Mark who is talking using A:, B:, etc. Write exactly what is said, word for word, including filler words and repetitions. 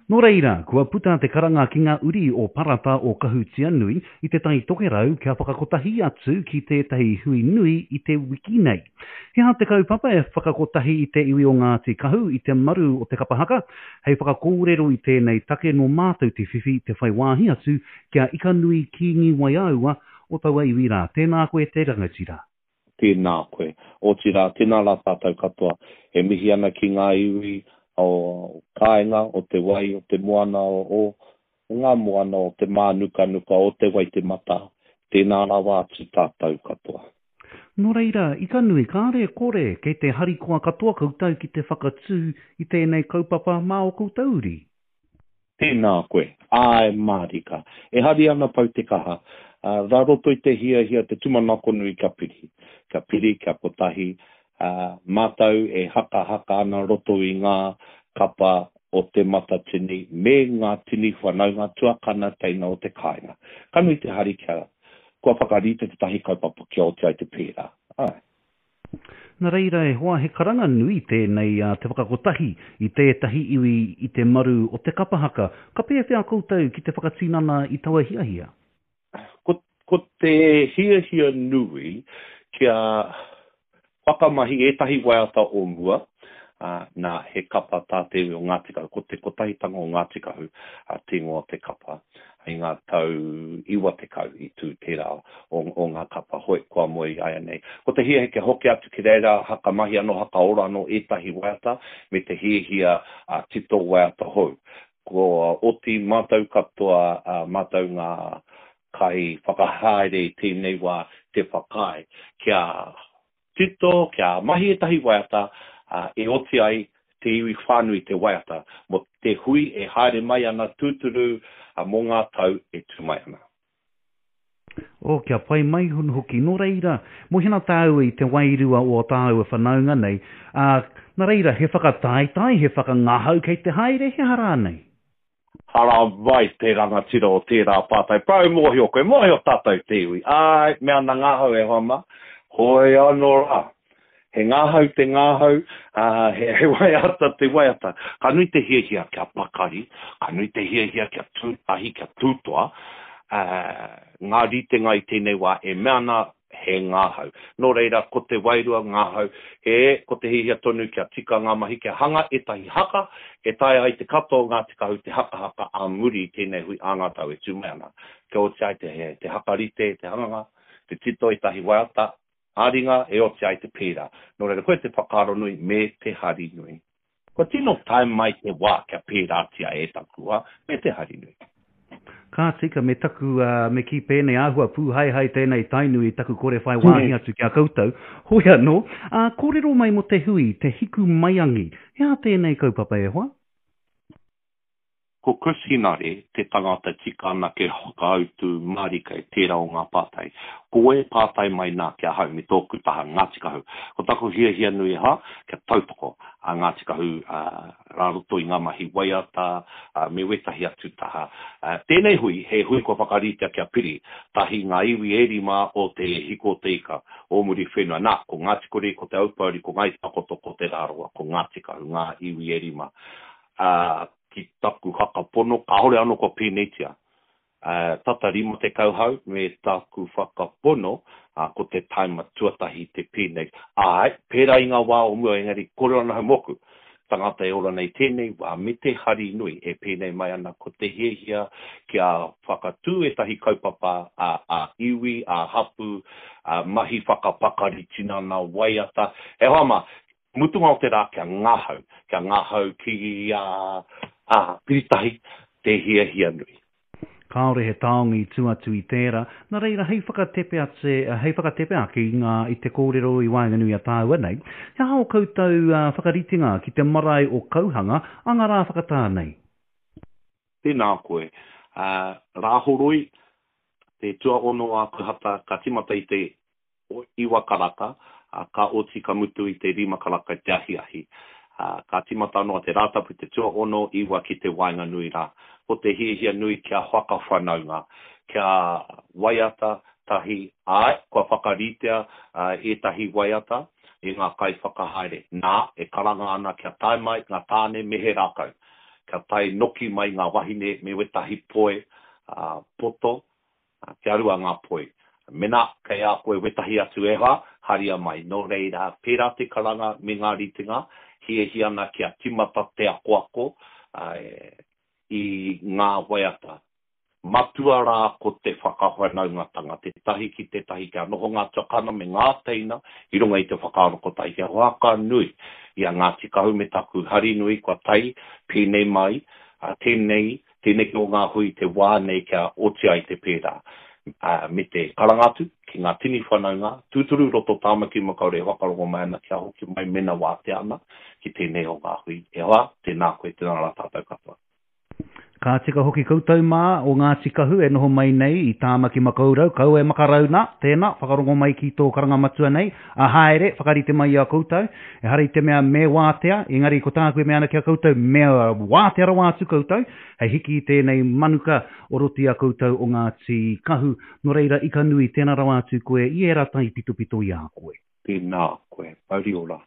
A: Nō reira, kua puta te karanga ki ngā uri o Parata o Kahutianui i Te Tai Tokerau kia whakakotahi atu ki tētahi hui nui i te wiki nei. He aha te kaupapa e whakakotahi i te iwi o Ngāti Kahu i te maru o te kapa haka? Hei whakakōrero i tēnei take nō mātou te whiwhi te whai wāhi atu ki a Ikanui Kīngi Waiaua o taua iwi rā. Tēnā koe te rangatira.
B: Tēnā koe. Otirā, tēnā rā tātou katoa. E mihi ana ki ngā iwi o kāinga, o te wai, o te moana, o, o ngā moana, o te mānukanuka, o te Waitematā. Tēnā rawa atu tātou katoa.
A: Nō reira, Ikanui, kāre e kore, kei te harikoa katoa koutou ki te whakatū i tēnei kaupapa mā ō koutou uri?
B: Tēnā koe. Āe mārika. E hari ana pau te kaha. Rā roto i te hiahia, te tūmanako nui kia piri. Kia piri, kia kotahi, mātou e hakahaka ana roto i ngā kapa o Te Matatini me ngā tini whanaunga tuakana teina o te kāinga. Ka nui te hari kia kua whakarite tētahi kaupapa kia oti ai te pērā. Āe.
A: Nā reira e hoa, he karanga nui tēnei a te whakakotahi i tētahi iwi i te maru o te kapa haka. Ka pēwhea koutou ki te whakatinana i taua hiahia?
B: Ko, ko te hiahia nui kia whakamahi ētahi waiata o mua, ā, nā, he kapa tā te iwi o Ngāti Kahu, ko te Kotahitanga o Ngāti Kahu te ingoa o te kapa. I ngā tau iwa tekau i tū tērā o, o ngā kapa hoi kua moe i āianei. Ko te hiahia kia hoki atu ki reira, hakamahi anō, hakaora anō ētahi waiata, me te hiahia tito waiata hou. Kua oti mātou katoa, ā, mātou ngā kaiwhakahaere i tēnei wā te whakaae kia tito, kia mahi ētahi waiata, ā, e oti ai te iwi whānui te waiata mō te hui e haere mai ana tūturu mō ngā tau e tū mai ana.
A: Oh, kia pai mai hoki. Nō reira, mōhio ana tāua i te wairua o ō tāua whanaunga nei, ā, nā reira, he whakataetae, he whakangahau kei te haere, he aha rānei?
B: Haramai te rangatira o tērā pātai. Parau mōhio koe, mōhio tātou te iwi. Āe, me ana ngahau e hoa mā. Hoi anō rā. He ngahau te ngahau, ā, he, he waiata te waiata. Ka nui te hiahia kia pakari, ka nui te hiahia kia tū tahi, kia tūtoa, ā, ngā ritenga i tēnei wā e mea ana he ngahau. Nō reira, ko te wairua ngahau, he, ko te hiahia tonu kia tika ngā mahi, kia hanga ētahi haka e taea ai te katoa o Ngāti Kahu te hakahaka ā muri i tēnei hui ā ngā tau e tū mai ana. Kia oti ai te, te hakarite, te hanganga, te tito ētahi waiata ā-ringa e oti ai te pērā. Nō reira, koia te whakaaro nui me te hari nui. Kua tino tae mai te wā kia pērātia e taku wā, me te hari nui.
A: Ka tika, me taku, me kī pēnei, āhua pūhaehae tēnei Tainui i taku kore whai wāhi atu ki a koutou. Hoi anō, ā, kōrero mai mō te hui, te Hiku Maiangi. He aha tēnei kaupapa e hoa?
B: Ko Chris Henare te tangata tika anake whakautu mārika i tērā o ngā pātai. Ko wai e pātai mai nā ki ahau me tōku taha Ngāti Kahu? Ko taku hiahia nui aha, kia tautoko a Ngāti Kahu rā roto i ngā mahi waiata me wētahi atu taha. Tēnei hui, he hui kua whakaritea kia piri tahi ngā iwi e rima o Te Hiko o Te Ika o Muriwhenua. Nā, ko Ngāti Kuri, ko Te Aupōuri, ko Ngāi Takoto, ko Te Rarawa, ko Ngāti Kahu ngā iwi e rima. Ā, ki taku whakapono, kāore anō kua pēneitia. Ā, tata rima tekau hau me taku whakapono, ā, ko te taima tuatahi te pēnei. Āe, pērā i ngā wā o mua, engari kore ana hau mōku. Tangata e ora nei tēnei wā, me te hari nui e pēnei mai ana ko te hiahia kia whakatū ētahi kaupapa ā, ā-iwi, ā-hapū, ā, mahi whakapakari tinana, waiata. E hoa mā, Mutunga o te rā kia ngahau, kia ngahau ki a a Piritahi te hiahia nui.
A: Kāore he taonga i tū atu i tērā, nā reira hei whakatepe atu, hei whakatepe ake i ngā, i te kōrero i waenganui i a tāua nei, he aha ō koutou whakaritenga ki te marae o Kauhanga a ngā rā whakatā nei?
B: Tēnā koe. Rāhoroi, te tuaono Ākuhata, ka tīmata i te iwa karaka, ā, ka oti ka mutu i te rima karaka i te ahiahi. Ā, ka tīmata anō a te Rātapu te tuaono, iwa ki te waenganui rā. Ko te hiahia nui kia whakawhanaunga, kia waiata tahi, āe, kua whakaritea ētahi waiata e ngā kaiwhakahaere. Nā, e karanga ana kia tae mai ngā tāne me he rākau. Kia tae noki mai ngā wahine me wetahi poe poto, kia rua ngā poe. Mena kei a koe wetahi atu e hoa, haria mai. Nō reira, pērā te karanga me ngā ritenga, hiahia ana kia timata te akoako i ngā waiata. Matua rā ko te whakawhanaungatanga, tētahi ki tētahi, kia noho ngā tuakana me ngā teina i runga i te whakaaro kotahi, kia whakanui i a Ngāti Kahu me taku hari nui kua tae pēnei mai, tēnei, tēneki o ngā hui te wā nei kia oti ai te pērā, me te karanga atu ki ngā tini whanaunga, tūturu roto Tāmaki Makaurau e whakarongo mai ana kia hoki mai mena wātea ana ki tēnei o ngā hui. E hoa, tēnā koe, tēnā rā tātou katoa.
A: Ka tika hoki koutou mā o Ngāti Kahu e noho mai nei i Tāmaki Makaurau, kaua e makarau nā, tēnā, whakarongo mai ki tō karanga matua nei, a haere, whakarite mai i a koutou, ehara i te mea me wātea, engari ko tāku e mea ana ki a koutou, me wātea rawa atu koutou, hei hiki i tēnei manuka o roto i a koutou o Ngāti Kahu, nō reira ika nui, tēnā rawa atu koe i ērā taipitopito i a koe.
B: Tēnā koe, mauri ora.